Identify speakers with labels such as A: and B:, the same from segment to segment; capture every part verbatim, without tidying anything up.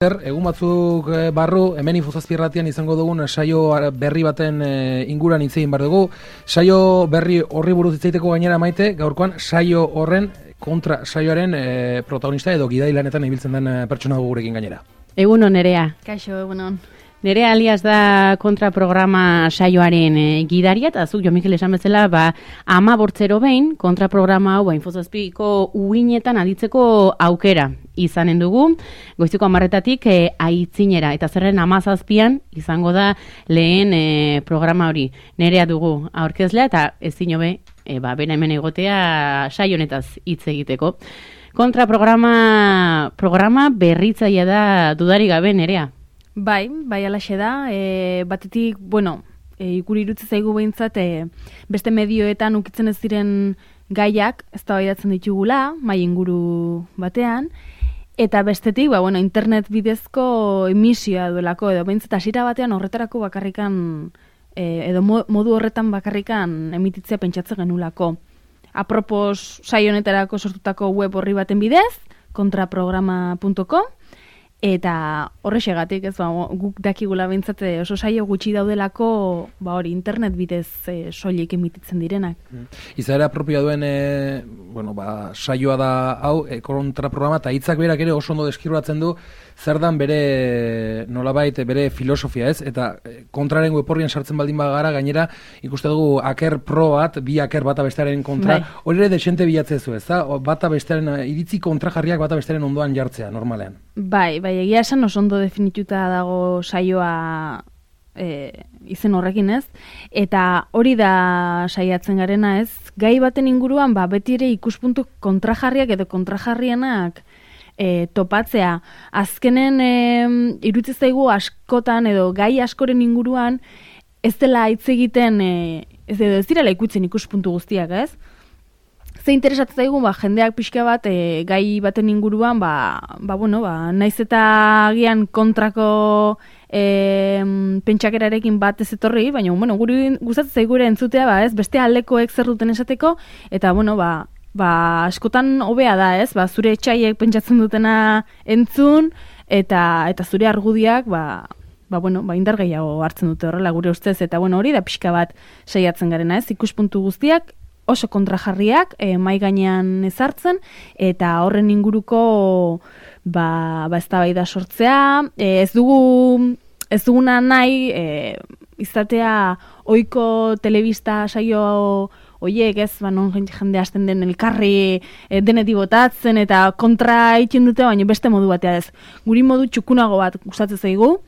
A: Egun batzuk barru, hemen Infozazpirratian izango dugun saio berri baten inguran hitz egin behar dugu. Saio berri horri buruz hitz egiteko gainera Maite, gaurkoan saio horren kontra saioaren e, protagonista edo gidailanetan ibiltzen den pertsona dugu gurekin gainera.
B: Egunon Nerea.
C: Kaixo, egunon.
B: Nerea alias da kontraprograma saioaren e, gidaria, eta zuk Jo Mikel esan bezala, ba, ama bortzero behin kontraprograma hau ba, Infozazpiko uinetan aditzeko aukera izanen dugu, goiziko amarretatik e, aitzinera, eta zerren amazazpian izango da lehen e, programa hori. Nerea dugu aurkezlea, eta ez zinobe, e, ba, bera hemen egotea saio honetaz hitz egiteko. Kontraprograma programa berritzailea da dudari gabe, Nerea.
C: Bai, bai alaxe da, e, batetik, bueno, e, ikuri irutze zaigu behintzat, e, beste medioetan ukitzen ez diren gaiak, ez da baidatzen ditugula, mai inguru batean, eta bestetik, ba, bueno, internet bidezko emisioa duelako, edo behintzat hasiera batean horretarako bakarrikan, e, edo modu horretan bakarrikan emititzea pentsatzen genulako. Apropos saio honetarako sortutako web horri baten bidez, kontraprograma puntu com, eta horrexegatik, ez ba, guk dakigula behintzat oso saio gutxi daudelako, ba hori, internet bidez e, soilik emititzen direnak.
A: Izaera propioa duen, e, bueno, ba, saioa da hau, e, kontraprograma, eta hitzak berak ere oso ondo deskribatzen du, zer dan bere, nolabait, bere filosofia, ez? Eta kontraren web horrian sartzen baldin bagara, gainera, ikuste dugu aker pro bat, bi aker bata bestearen kontra, bai. Hori ere desente bilatzezu, ez da? Bata bestearen, iritzi kontrajarriak bata bestearen ondoan jartzea, normalean.
C: Bai, bai, egia esan oso ondo definituta dago saioa e, izen horrekin, ez? Eta hori da saiatzen garena, ez? Gai baten inguruan, ba, beti ere ikuspuntu kontrajarriak edo kontrajarrienak E, topatzea. Azkenen e, iruditzen zaigu askotan edo gai askoren inguruan ez dela hitz egiten e, ez edo ez direla ikutzen ikuspuntu guztiak, ez? Ze interesatzen zaigu ba, jendeak pixka bat e, gai baten inguruan ba, ba, bueno, ba, naiz eta agian kontrako e, pentsakerarekin bat ez etorri, baina bueno, guri gustatzen zaigu ere entzutea, ba, ez? Beste aldekoek zer duten esateko, eta bueno, ba, Ba, askotan hobea da, ez? Ba, zure etxaiek pentsatzen dutena entzun, eta eta zure argudiak, ba, ba, bueno, ba, indar gehiago hartzen dute horrela gure ustez, eta bueno, hori da pixka bat saiatzen garena, ez? Ikuspuntu guztiak oso kontrajarriak, e, mai gainean ezartzen, eta horren inguruko ba, ba eztabaida sortzea, e, ez dugu ez duguna nahi e, izatea ohiko telebista saio oiek, ez, ba, non jende hasten den elkarri e, denetik botatzen eta kontra egiten dute, baina beste modu batea ez. Guri modu txukunago bat gustatzen zaigu,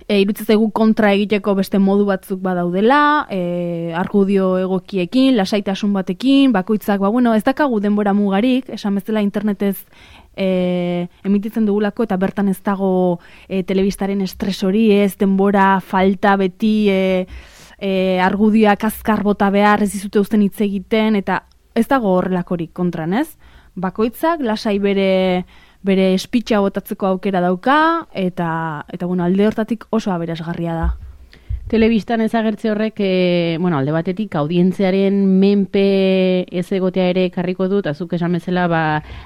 C: e, iruditzen zaigu kontra egiteko beste modu batzuk badaudela, e, argudio egokiekin, lasaitasun batekin, bakoitzak, ba, bueno, ez dakagu denbora mugarik, esan bezala internetez e, emititzen dugulako, eta bertan ez dago e, telebistaren estres hori, ez denbora falta beti, e, E, argudioak azkar bota behar, ez dizute uzten hitz egiten, eta ez dago horrelakorik kontran, ez? Bakoitzak lasai bere bere espitxa botatzeko aukera dauka, eta eta bueno, alde hortatik oso aberasgarria da.
B: Telebistan ezagertze horrek, e, bueno, alde batetik audientziaren menpe ez egotea ere karriko dut, azuk esan bezala, ba,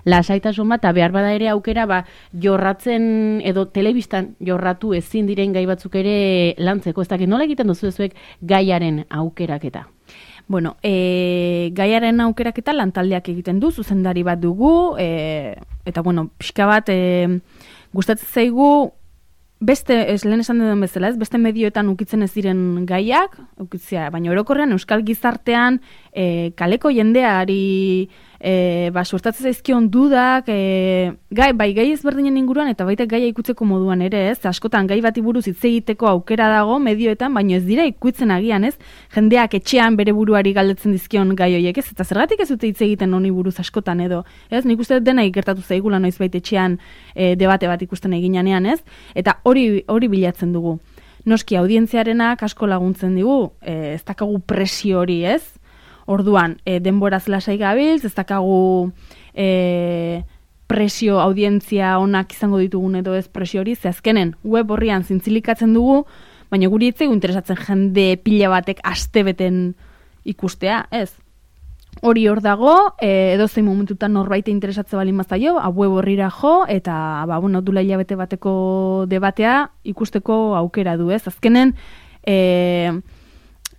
B: lasaitasun bat, eta behar bada ere aukera, ba, jorratzen, edo telebistan jorratu ezin diren gai batzuk ere lantzeko, ez dakit nola egiten duzu ezuek gaiaren aukeraketa?
C: Bueno, e, gaiaren aukeraketa lantaldeak egiten du, zuzendari bat dugu, e, eta bueno, pixka bat, e, gustatzen zaigu, beste, ez lehen esan den bezala, ez, beste medioetan ukitzen ez diren gaiak, ukitzea, baina orokorrean euskal gizartean e, kaleko jendeari e, ba, suertatzen zaizkion dudak, e, gai, bai gai ezberdinen inguruan eta baita gaia ikutzeko moduan ere, ez, askotan gai bati buruz hitz egiteko aukera dago medioetan, baina ez dira ikutzen agian, ez, jendeak etxean bere buruari galdetzen dizkion gai horiek, ez, eta zergatik ez dute hitz egiten honi buruz askotan edo, ez, nik uste dena ikertatu zaigula noizbait etxean e, debate bat ikusten eginanean, ez, eta hori hori bilatzen dugu. Noski audientziarenak asko laguntzen digu, e, ez dakagu presio hori, ez? Orduan, e, denboraz lasai gabiltz, ez dakagu e, presio audientzia onak izango ditugun edo ez presio hori, ze azkenen web horrian zintzilikatzen dugu, baina guri ez zaigu interesatzen jende pila batek astebeten ikustea, ez? hori hor dago, e, edozein momentutan norbait interesatze balin bazaio, web horrira jo, eta, ba, bueno, dula hilabete bateko debatea ikusteko aukera du, ez? Azkenen, e,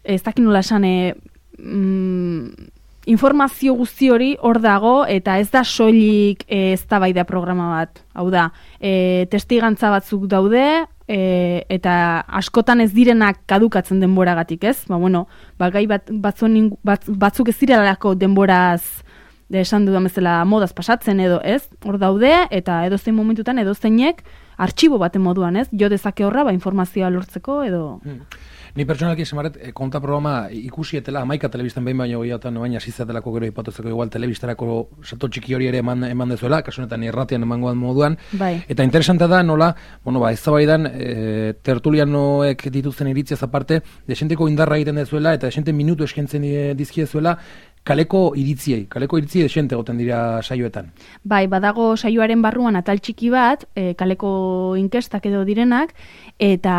C: ez dakin nola esan, e, mm, informazio guzti hori hor dago, eta ez da soilik e, eztabaida programa bat. Hau da, e, testigantza batzuk daude, e, eta askotan ez direnak kadukatzen denboragatik, ez? Ba, bueno, ba, gai bat, batzun, bat, batzuk ez direlako denboraz, de esan dudan bezala modaz pasatzen edo, ez? Hor daude, eta edozein momentutan edozeinek artxibo baten moduan, ez? Jo dezake horra, ba, informazioa lortzeko edo...
A: Hmm. Ni pertsonalki esemaret, konta programa ikusietela, amaika telebistan behin baino gehiagotan, baina zizatelako gero ipatuzeko igual telebistarako sato txiki hori ere eman, eman dezuela, kasunetan irratian emangoan moduan.
C: Bai.
A: Eta interesante da nola, bueno, ba, eztabaidan e, tertulianoek dituzten iritziaz aparte, desenteko indarra egiten dezuela, eta desente minutu eskentzen dizkiezuela, kaleko iritziei, kaleko iritziei desente goten dira saioetan.
C: Bai, badago saioaren barruan atal txiki bat, e, kaleko inkestak edo direnak, eta,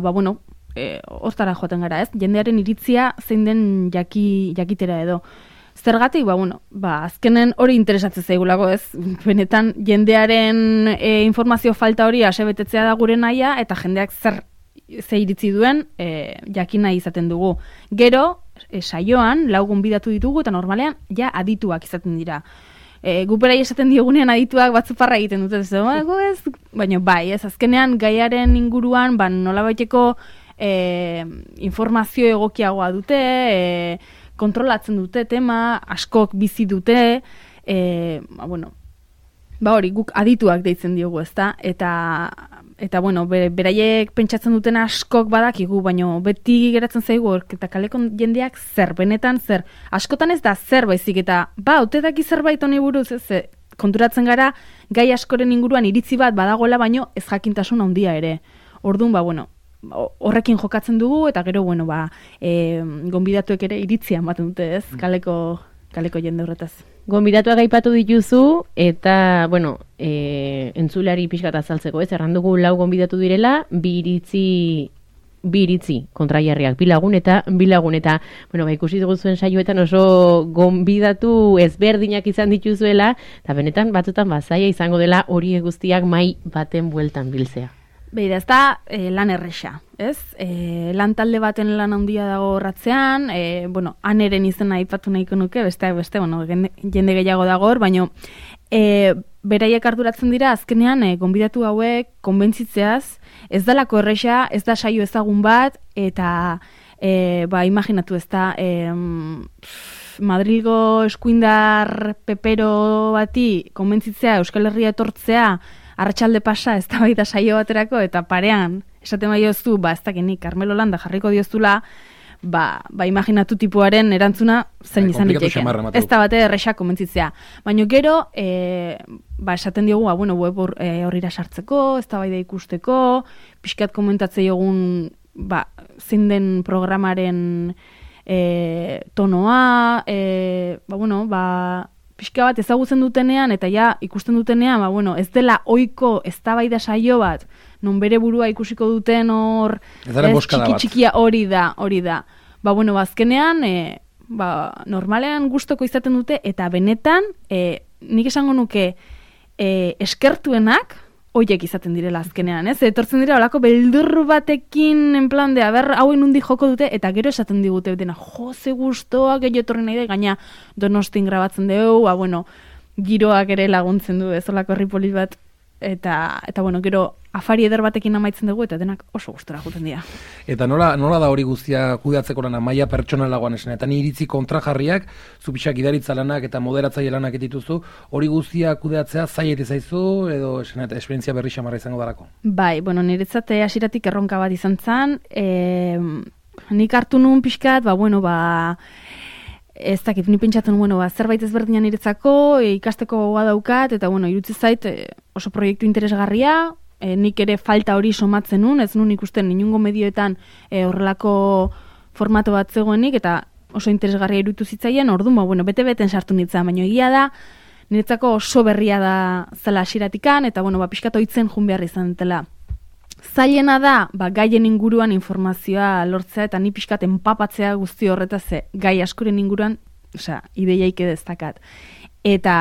C: ba, bueno, E, hortara joaten gara, ez? Jendearen iritzia zein den jaki, jakitera edo. Zergatik, ba, bueno, ba, azkenen hori interesatzen zaigulako, ez? Benetan, jendearen e, informazio falta hori asebetetzea da gure naia, eta jendeak zer ze iritzi duen e, jakina izaten dugu. Gero, e, saioan, lau gonbidatu ditugu, eta normalean, ja adituak izaten dira. E, guperai esaten diogunean adituak batzuparra egiten dute, ez, ez? Baina bai, ez, azkenean gaiaren inguruan, ba, nolabaiteko E, informazio egokiagoa dute, e, kontrolatzen dute tema, askok bizi dute, e, ba, bueno, ba hori, guk adituak deitzen diogu, ezta? Eta, eta bueno, be, beraiek pentsatzen duten askok badakigu, baina beti geratzen zaigu, eta kaleko jendeak zer, benetan zer, askotan ez da zer baizik, eta ba, ote daki zerbait honi buruz, ez, konturatzen gara, gai askoren inguruan iritzi bat badagoela, baino ez jakintasun handia ere. Orduan, ba, bueno, horrekin jokatzen dugu, eta gero, bueno, ba, e, gonbidatuek ere iritzia ematen dute, ez? Kaleko, kaleko jende horretaz.
B: Gonbidatuak aipatu dituzu, eta, bueno, e, entzulari pixkat azaltzeko, ez? Errandugu lau gonbidatu direla, bi iritzi, bi iritzi kontrajarriak, bi lagun eta bi lagun, eta, bueno, ba, ikusi dugu zuen saioetan oso gonbidatu ezberdinak izan dituzuela, eta benetan batzutan bazaia izango dela hori guztiak mai baten bueltan biltzea.
C: Beira, ez da e, lan erresa, ez? E, lan talde baten lan handia dago ratzean, e, bueno, aneren izena aipatu nahiko nuke, besteak beste, bueno, jende gehiago dago hor, baina e, beraiek arduratzen dira, azkenean, e, gonbidatu hauek, konbentzitzeaz, ez dalako erresa, ez da saio ezagun bat, eta, e, ba, imaginatu ez da, e, Madrilgo eskuindar pepero bati, konbentzitzea, Euskal Herria etortzea, arratsalde pasa, ez da bai da saio baterako, eta parean, esaten bai diozu, ba, ez dakinik, Carmelo Landa jarriko diozula, ba, ba, imaginatu tipuaren erantzuna zen izan diteken. Ez da bate erresa komentzitzea. Baina gero, e, ba, esaten diogu, ba, bueno, web horrira e, sartzeko, ez da bai da ikusteko, pixkat komentatzei egun, ba, zein den programaren e, tonoa, e, ba, bueno, ba, pixka bat ezagutzen dutenean, eta ja ikusten dutenean, ba, bueno, ez dela ohiko eztabaida saio bat, non bere burua ikusiko duten hor, ez, txiki txikia hori da, hori da. Ba, bueno, bazkenean, e, ba, normalean gustoko izaten dute, eta benetan, e, nik esango nuke, e, eskertuenak, hoiek izaten direla azkenean, ez? Etortzen dira olako beldurru batekin en plan de, aber, hauen nundi joko dute, eta gero esaten digute, dena, jo, ze gustoa, gehiago etorri nahi da, gaina Donostin grabatzen dugu, ba, bueno, giroak ere laguntzen du, ez olako herri bat, eta, eta bueno, gero afari eder batekin amaitzen dugu, eta denak oso gustora juten dira.
A: Eta nola, nola da hori guztia kudeatzeko lana, maila pertsonalagoan esan, eta ni iritzi kontrajarriak, zupixak idaritza lanak eta moderatzaile lanak dituzu, hori guztia kudeatzea zaiet zaizu, edo esan, eta esperientzia berri xamarra izango darako?
C: Bai, bueno, niretzate hasieratik erronka bat izan zen, e, nik hartu nun pixkat, ba, bueno, ba, ez dakit, ni pentsatzen, bueno, ba, zerbait ezberdinan niretzako, e, ikasteko gogoa daukat, eta, bueno, irutzi zait, e, oso proiektu interesgarria, e, nik ere falta hori somatzen nun, ez nun ikusten inungo medioetan e, horrelako formato bat zegoenik, eta oso interesgarria irutu zitzaien, orduan, ba, bueno, bete-beten sartu nintzen, baina egia da, niretzako oso berria da zela hasieratikan, eta, bueno, ba, pixkat oitzen jun behar izan dela. Zailena da, ba, gaien inguruan informazioa lortzea, eta ni pixkat enpapatzea guzti horretaz, gai askoren inguruan osea, ideiaik destakat. Eta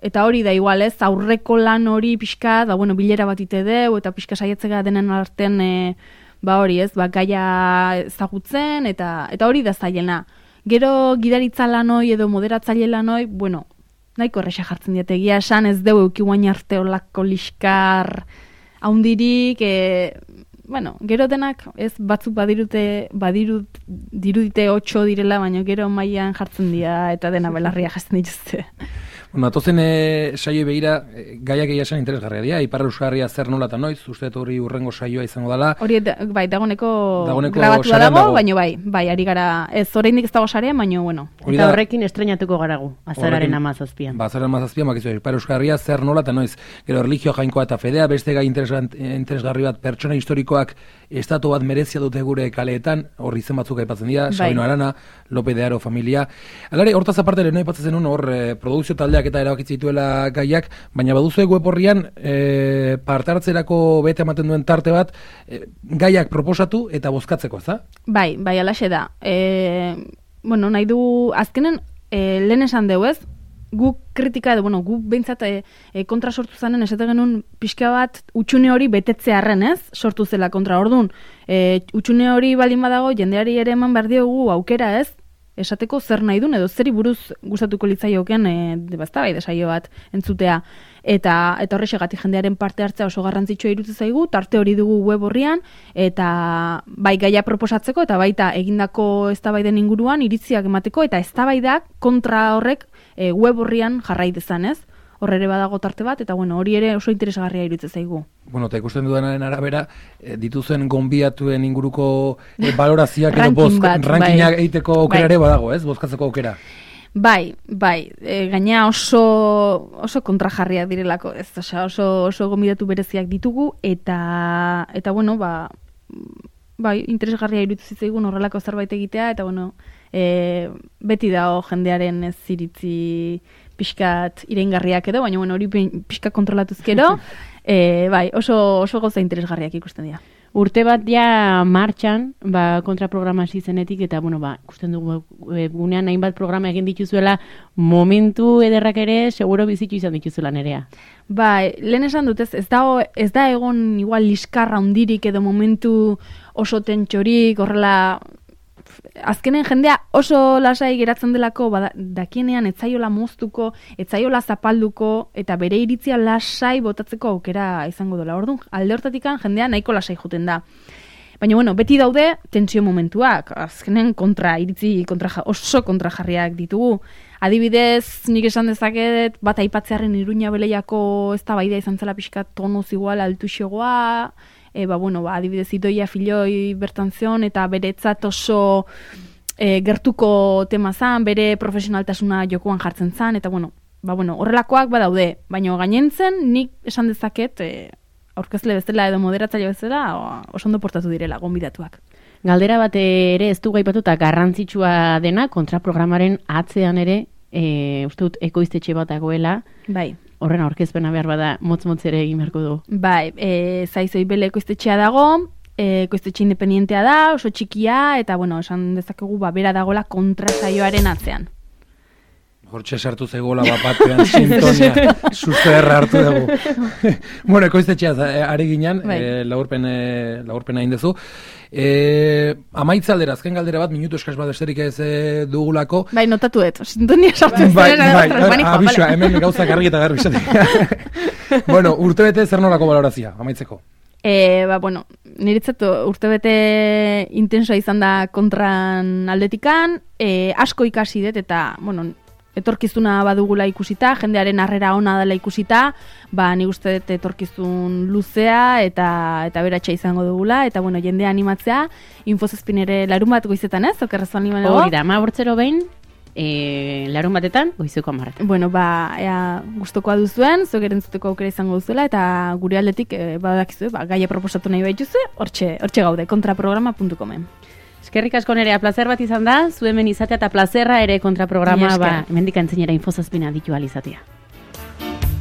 C: eta hori da igual, ez, aurreko lan hori pixka, da bueno, bilera bat ite deu, eta pixka saiatzega denen artean e, ba hori, ez, ba gaia ezagutzen, eta eta hori da zailena. Gero gidaritza lanoi edo moderatzaile lanoi, bueno, nahiko erresa jartzen diate, egia esan ez deu euki guain arte olako liskar haundirik, e, bueno, gero denak ez batzuk badirute, badirut, dirudite otxo direla, baina gero mailan jartzen dira eta dena belarria jasten dituzte.
A: Bueno, atozen e, saio begira, e, gaiak egia esan interesgarria dira, Ipar Euskarria zer nola eta noiz, uste hori urrengo saioa izango dela.
C: Hori, da, bai, dagoneko,
A: dagoneko
C: grabatua dago,
A: dago,
C: baina bai, bai, ari gara, ez oraindik ez dago sarean, baina bueno.
B: Hori eta da, horrekin estrenatuko garagu, azararen amazazpian.
A: Ba, azararen amazazpian, bakizu, Ipar Euskarria zer nola eta noiz, gero erlijio jainkoa eta fedea, beste gai interesgarri bat, pertsona historikoak estatu bat merezia dute gure kaleetan, horri izen batzuk aipatzen dira, bai. Sabino Arana, Lope de Aro familia. Alare, hortaz aparte lehen aipatzen zenun, hor eh, produkzio taldeak eta erabakitzi dituela gaiak, baina baduzu web horrian eh, parte hartzerako bete ematen duen tarte bat, eh, gaiak proposatu eta bozkatzeko, ez da?
C: Bai, bai, alaxe da. E, bueno, nahi du, azkenen, e, lehen esan deu ez, guk kritika edo, bueno, guk behintzat e, e, kontra sortu zanen, esate genuen pixka bat utxune hori betetzearren ez, sortu zela kontra ordun. E, utxune hori baldin badago, jendeari ere eman behar diogu aukera ez, esateko zer nahi duen, edo zeri buruz gustatuko litzaioken e, bazta bai desaio bat entzutea. Eta eta horrexegatik jendearen parte hartzea oso garrantzitsua iruditzen zaigu, tarte hori dugu web horrian, eta bai gaia proposatzeko, eta baita egindako eztabaiden inguruan iritziak emateko, eta eztabaidak kontra horrek e, web horrian jarrai dezan, ez? Horre ere badago tarte bat, eta bueno, hori ere oso interesgarria iruditzen zaigu.
A: Bueno, eta ikusten dudanaren arabera, e, dituzen gonbiatuen inguruko e, balorazioak edo bozk, rankinak bai. Eiteko aukera ere badago, ez? Bozkatzeko aukera.
C: Bai, bai, e, gaina oso oso kontrajarriak direlako, ez, osea, oso oso gonbidatu bereziak ditugu, eta eta bueno, ba bai, interesgarria iruditzen zitzaigun horrelako zerbait egitea, eta bueno, e, beti dago jendearen ez iritzi pixkat iraingarriak edo, baina bueno, hori pixka kontrolatuzkero, e, bai, oso, oso gauza interesgarriak ikusten dira.
B: Urte bat ja martxan, ba, kontraprograma hasi zenetik, eta bueno, ba, ikusten dugu gunean hainbat programa egin dituzuela, momentu ederrak ere, seguro bizitu izan dituzuela nerea.
C: Ba, lehen esan dut, ez, ez, da, ez da egon igual liskarra hundirik edo momentu oso tentxorik, horrela, azkenen jendea oso lasai geratzen delako, bada, dakienean etzaiola moztuko, etzaiola zapalduko, eta bere iritzia lasai botatzeko aukera izango dola. Orduan, alde hortatikan jendea nahiko lasai joten da. Baina, bueno, beti daude tentsio momentuak, azkenen kontra, iritzi kontra, oso kontrajarriak ditugu. Adibidez, nik esan dezaket, bat aipatzearen Iruña Beleiako eztabaida izan zela pixka tonuz igual altuxegoa, E, ba, bueno, ba, adibidez Idoia Filoi bertan zion, eta beretzat oso e, gertuko tema zan, bere profesionaltasuna jokoan jartzen zan, eta bueno, ba, bueno, horrelakoak badaude, baina gainentzen nik esan dezaket e, aurkezle bezala edo moderatzaile bezala oso ondo portatu direla gonbidatuak.
B: Galdera bat ere ez du gaipatuta garrantzitsua dena, kontraprogramaren atzean ere, e, uste dut ekoiztetxe bat dagoela.
C: Bai.
B: Horren aurkezpena behar bada motz-motz ere egin beharko du.
C: Bai, e, zaizoi bele ekoiztetxea dago, e, ekoiztetxe independientea da, oso txikia, eta bueno, esan dezakegu ba, bera dagola kontrasaioaren atzean.
A: Hortxe sartu zegoela bapatean sintonia, susto erra hartu dugu. Bueno, ekoiztetxea ari ginen, bai. e, laurpen, e, laurpen hain dezu. E, amaitza aldera, azken galdera bat, minutu eskaz bat esterik ez e, dugulako.
C: Bai, notatu eto, sintonia sartu
A: bai, bai, bai, abisua, hemen gauzak argi eta garbi izatik. Bueno, urtebete zer nolako balorazia, amaitzeko?
C: E, ba, bueno, niretzat urtebete intensoa izan da kontran aldetikan, e, asko ikasi dut eta, bueno, etorkizuna badugula ikusita, jendearen harrera ona dela ikusita, ba ni uste dut etorkizun luzea eta eta beratxa izango dugula, eta bueno, jendea animatzea, Infozazpin ere larun bat goizetan, ez? Okerrezu animanego?
B: Hori da, ma bortzero behin, e, larun batetan, goizeko amarretan.
C: Bueno, ba, ea, gustokoa duzuen, zuek erentzuteko aukera izango duzuela, eta gure aldetik, e, badakizue, ba, gaia proposatu nahi baituzue, hortxe, hortxe gaude, kontraprograma puntu comen.
B: Eskerrik asko nerea, plazer bat izan da, zu hemen izatea eta plazerra ere kontraprograma, ba, hemendik antzinera Infozazpina ditu alizatea.